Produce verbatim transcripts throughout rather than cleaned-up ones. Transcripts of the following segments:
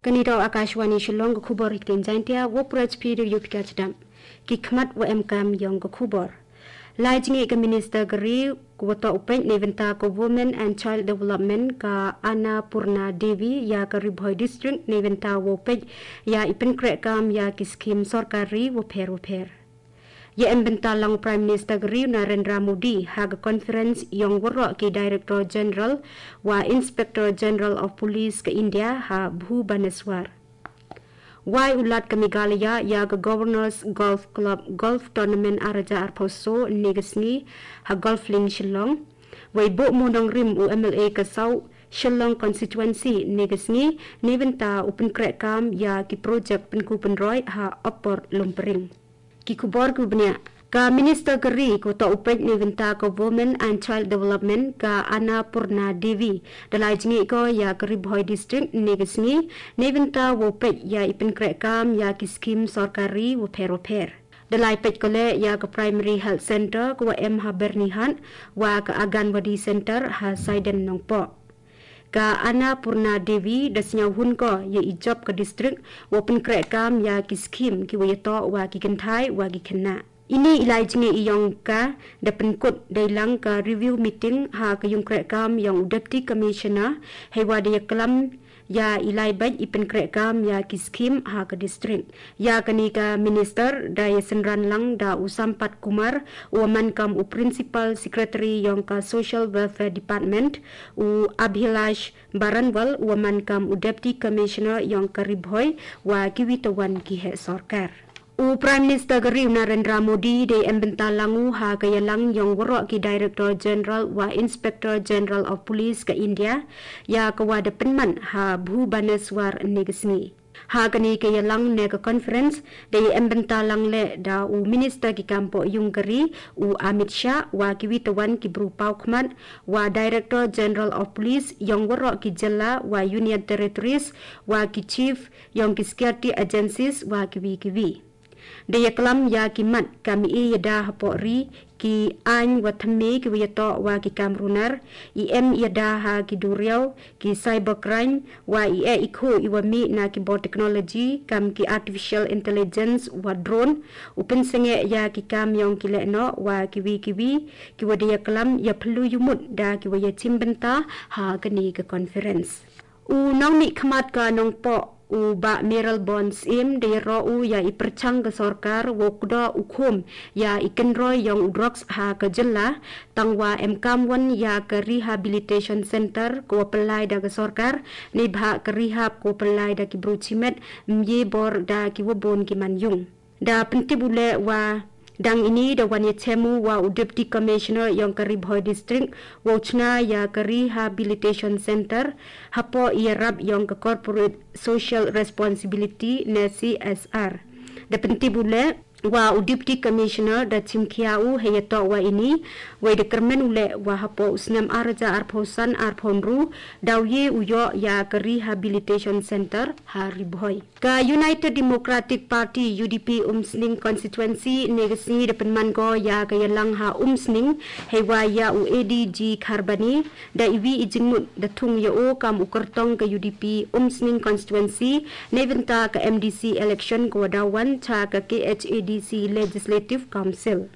Kani da Akashvani Shillong, ka khubor ha ktien Jaiñtia, wa pura chiphi da yu pika chadam. Ki khmat wa emkam yong ka khubor. Lai jngi ka Minister ka ri, ku wa toh u peit na bynta ka Women and Child Development, ka Annapurna Devi, ya ka Ri Bhoi District, na bynta wa u peit ya i pynkreh kam ya ki skim sorkar ri wa pher wa pher. Ya em bynta lang Prime Minister ka ri Narendra Modi ha ka conference yong waroh ki Director General wa Inspector General of Police ka India ha Bhubaneswar. Wai u lad ka Meghalaya ya ka Governors Golf Club Golf Tournament ar hajar arphew so ne ka sngi ha Golf Link Shillong. Wai Boh Monong Rim u M L A ka South Shillong Constituency ne ka sngi ne bynta u pynkreh kam ya ki project pynku pynroi ha Upper Lumpring. Ki khubor ki bniah. Ka Minister ka ri ku toh u peit ne bynta ka Women and Child Development ka Annapurna Devi da lai jngi ko ya ka Ri Bhoi District ne ka sngi ne bynta wa u peit ya i pynkreh kam ya ki skim sorkar ri wa pher wa pher. Da lai peit ko le ya ka Primary Health Center ku wa em ha Byrnihat wa ka Anganwadi Center ha Saiden Nongpoh. Ka Annapurna Devi da sñiaw hun ko ya i jop ka district wa pynkreh kam ya ki skim ki wa ya toh wa ki kynthai wa ki khynnah. Ini i lai jngi i yong ka da pynkut da i lang ka review meeting ha ka yung kreh kam yong u Deputy Commissioner hei wa da ya klam ya i lai beit i pynkreh kam ya ki skim ha ka district. Ya kani ka Minister da ya synran lang da u Sampat Kumar u wa man kam u Principal Secretary yong ka Social Welfare Department, u Abhilash Baranwal u wa man kam u Deputy Commissioner yong ka Ri Bhoi wa ki wi tawan ki heh sorkar. U Prime Minister ka ri u Narendra Modi da ya em bynta lang u ha ka ya lang yong waroh ki Director General wa Inspector General of Police ka India ya ka wa da pynman ha Bhubaneswar ne ka sngi. Ha kani ka ya lang ne ka conference da ya em bynta lang le da u Minister ki kam poh yung ka ri u Amit Shah wa ki wi tawan ki bru paw khmat wa Director General of Police yong waroh ki jylla wa Union Territories wa ki Chief yong ki security agencies wa ki wi ki wi. Da ya klam ya ki mat kam i ya da hapoh ri ki aiñ wa thymme ki wa ya toh wa ki kam runar, i em ya da ha ki duriaw, ki cybercrime, wa i e i khu i wa mih na ki bor technology kam ki artificial intelligence wa drone, u pynsnge ya ki kam yong ki lehnoh wa ki wi ki wi, ki wa da ya klam ya phylla yumut da ki wa ya chim bynta ha kani ka conference. U nongmihkhmat ka Nongpoh u Bah Mayralborn Syiem da ya roh u ya i pyrchang ka sorkar wow kdoh u khum ya i kynroi yong u drugs ha ka jylla, tang wa em kam wan ya ka rehabilitation center ka wa pynlai da ka sorkar, neibhah ka rehab ka wa pynlai da ki bru chimet, mye bor da ki wa bun ki man yung. Da pyntip u leh wa dang ini da wan ya chem u wa u Deputy Commissioner yong ka Ri Bhoi District wow chna ya ka Rehabilitation Center hapoh i yarap yong ka Corporate Social Responsibility ne C S R. Da pyntip u leh wa u Deputy Commissioner da chim khia u hei ya toh wa ini, wei da kyrmen u leh wa hapoh u snem ar hajar arphew san arphew ynru daw ye u yoh ya ka Rehabilitation Center ha Ri Bhoi. Ka United Democratic Party, U D P, Umsning Constituency, ne ka sngi da pynman ko ya ka yalang ha Umsning, hei wa ya u A D G Kharbani, da iwi i jingmut da thung ya o kam u kyrtong ka U D P Umsning Constituency, ne bynta ka M D C election ka wa daw wan cha ka K H A D C Legislative Council.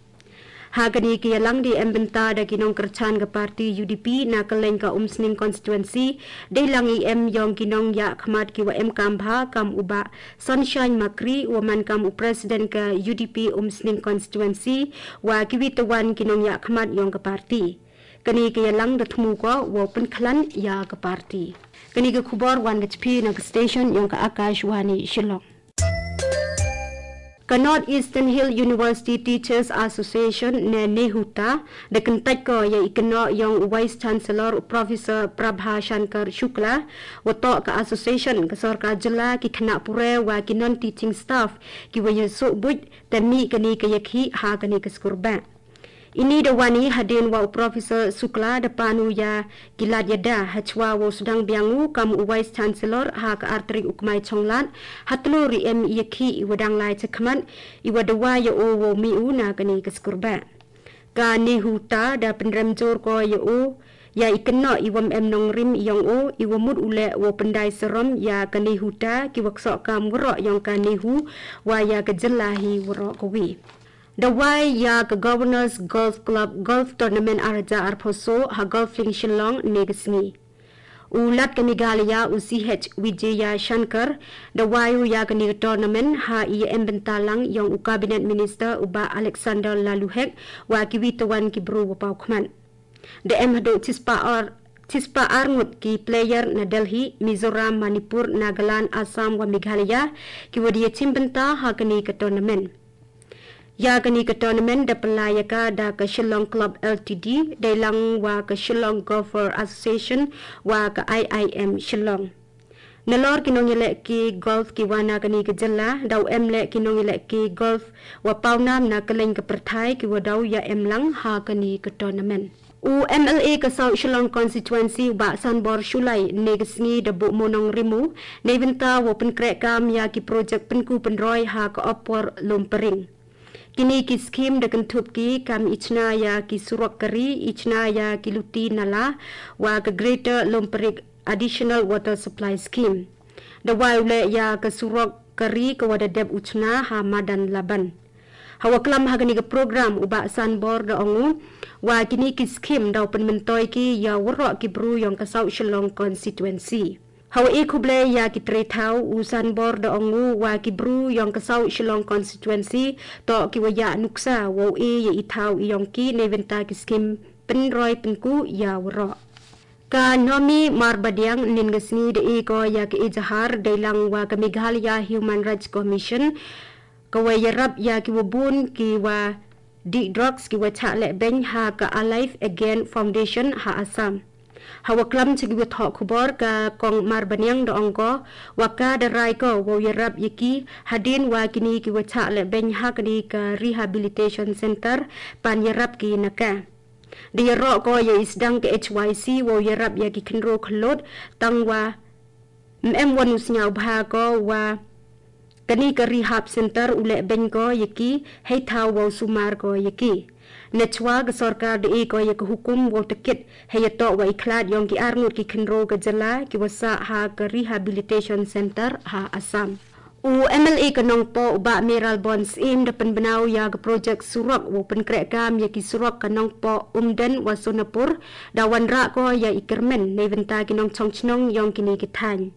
Ha kani ka yalang da em bynta da ki nongkyrchan ka party U D P na kylleng ka Umsning constituency, da i lang i em yong ki nongyahkhmat ki wa em kam bha kam u Bah Sunshine Makri wa man kam u president ka U D P Umsning constituency, wa ki wi tawan ki nongyahkhmat yong ka party. Kani ka yalang da thmu ko wow pynkhlan ya ka party. Kani ka khubor wan ka chiphi na ka station yong ka Akashvani Shillong. Ka North Eastern Hill University Teachers Association ne NEHUTA da kyntait ko ya i kynnoh yong u Vice Chancellor u Professor Prabha Shankar Shukla, wa toh ka association ka sorkar jylla, ki khynnah pule wa ki non-teaching staff ki wa ya suh buit, te mih kani ka ya khih ha kani ka skur bah. Ini da wan i hadien wa u Professor Shukla da pan u ya ki lad yada hachwa wow sdang biang u kam u Vice Chancellor ha ka ar tarik u Kmaichonglad, ha tlur i em i ya khih i wa dang lai chakhmat, i wa dawa ya o wow mih u na kani ka skur bah. Ka NEHUTA da pynrem jur ko ïa u ïa i kynnoh i wym em nongrim ïong u, i wa mut u leh wow pyndai sarom ïa ka NEHUTA, ki wa ksoh kam waroh ïong ka NEHU, wa ïa ka jylla hi waroh kawi. Da wai ïa ka Governors Golf Club Golf Tournament ar hajar arphew saw ha Golf Link Shillong ne ka sngi. U Lat ka Meghalaya u C H Vijayashankar da wai u ïa kane ka tournament ha i ïa em bynta lang ïong u Cabinet Minister u Bah Alexander Laloo Hek wa kiwi tawan ki bru wa paw khmat. Da em haduh chispah ar, chispah ar ngut ki player na Delhi, Mizoram, Manipur, Nagaland, Assam wa Meghalaya, ki wa da ïa chim bynta ha kane ka tournament. Ïa kane ka tournament da pynlai ïa ka da ka Shillong Club L T D, dei lang wa ka Shillong Golfer Association wa ka I I M Shillong. Nalor ki nongïalehke golf ki wa na kane ka jylla, da u em leh ki nongïalehke golf wa pawnam na kylleng ka pyrthai ki wa da u ïa em lang ha kane ka tournament. U M L A ka South Shillong Constituency u Bah Sanbor Shullai ne ka sngi da buh mo nongrim u, ne bynta wow pynkreh kam ïa ki project pynku pynroi ha ka Upper Lumparing. Kine ki skim da kynthup ki kam i chna ïa ki surok kari, i chna ïa ki luti nala, wa ka Greater Lumparing Additional Water Supply Scheme. Da wai u leh ïa ka surok kari ka wa da dep u chna ha madan Laban. Ha wa klam ha kane ka program u Bah Sanbor da ong u, wa kine ki skim da u pynmyntoi ki ïa waroh ki bru ïong ka South Shillong Constituency. Ha wa e khublei ïa ki trei thaw u Sanbor da ong u wa ki bru ïong ka South Shillong Constituency, toh ki wa ïa nuksa wow e ïa i thaw ïong ki ne bynta ki skim pynroi pynku ïa waroh. Ka Nomi Marbaniang ne ka sngi da e ko ïa ka ejahar dei lang wa ka Meghalaya Human Rights Commission, ka wa ïarap ïa ki wa bun ki wa dih drugs ki wa chah leh beiñ ha ka Alive Again Foundation ha Assam. Ha wa klam cha ki wa thoh khubor ka Kong Marbaniang da ong ko, wa ka da rai ko wow ïarap ïa ki hadien wa kine ki wa chah leh beiñ ha kane ka Rehabilitation Center, ban ïarap ki na ka. Da ïaroh ko ïa i sdang ka H Y C wow ïarap ïa ki khynroo khyllood, tang wa ym em wa nu sñiawbha ko wa kane ka Rehab Center u leh beiñ ko ïa ki, hei thaw wow sumar ko ïa ki. Nachwa ka sorkar da e ko ïa ka hukum wow takit, hei ïa toh wa i khlad ïong ki ar ngut ki khynroo ka jylla ki wa sah ha ka Rehabilitation Center ha Assam. U M L A ka Nongpoh u Bah Mayralborn Syiem da pynbna u ïa ka project surok wow pynkreh kam ïa ki surok ka Nongpoh, Umden wa Sonapur, da wanrah ko ïa i kyrmen ne bynta ki nongchong chnong ïong kine ki thaiñ.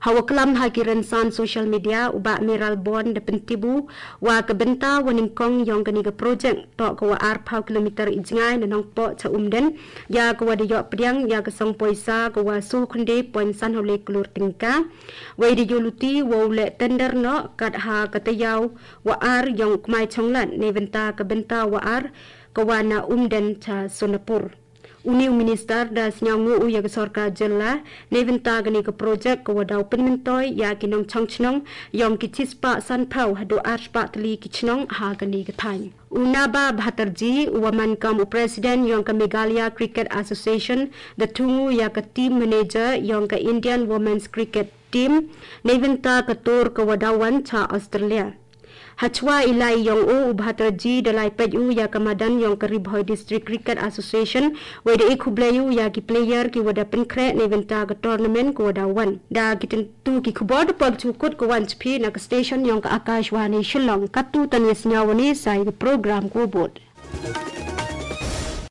Ha wa klam ha ki rynsan social media u Bah Mayralborn da pyntip u wa ka bynta wa nyngkong ïong kane ka project toh ka wa arphaw kilometer i jngai na Nongpoh cha Umden, ïa ka wa da ïoh pdiang ïa ka song poisa ka wa soo khynde point san hawlei klur tyngka. Wei da ïoh luti wow leh tender noh kat ha ka taïaw wa ar ïong u Kmai Chonglad ne bynta ka bynta wa ar ka wa na Umden cha Sonapur. Uni u minister da sñiawngooh u ïa ka sorkar jylla ne bynta kane ka project ka wa daw pynmyntoi ïa ki nongchong chnong ïong ki chispah sanphaw haduh arspah tylli ki chnong ha kane ka thaiñ. U Naba Bhatterjee u wa man kam u president ïong ka Meghalaya Cricket Association da thung u ïa ka team manager ïong ka Indian Women's Cricket Team ne bynta ka tour ka wa daw wan cha Australia. Hachwa i lai ïong u, u Bhatterjee da lai peit u ïa ka madan ïong ka Ri Bhoi District Cricket Association, wei da e khublei u ïa ki player ki wa da pynkhreh ne bynta ka tournament ka wa daw wan. Da ki tyntu ki khubor da poi ka chukut ka wan chphi na ka station ïong ka Akashvani Shillong. Katu tan ïa sñiaw wane sa ïa ka program ka wa bud.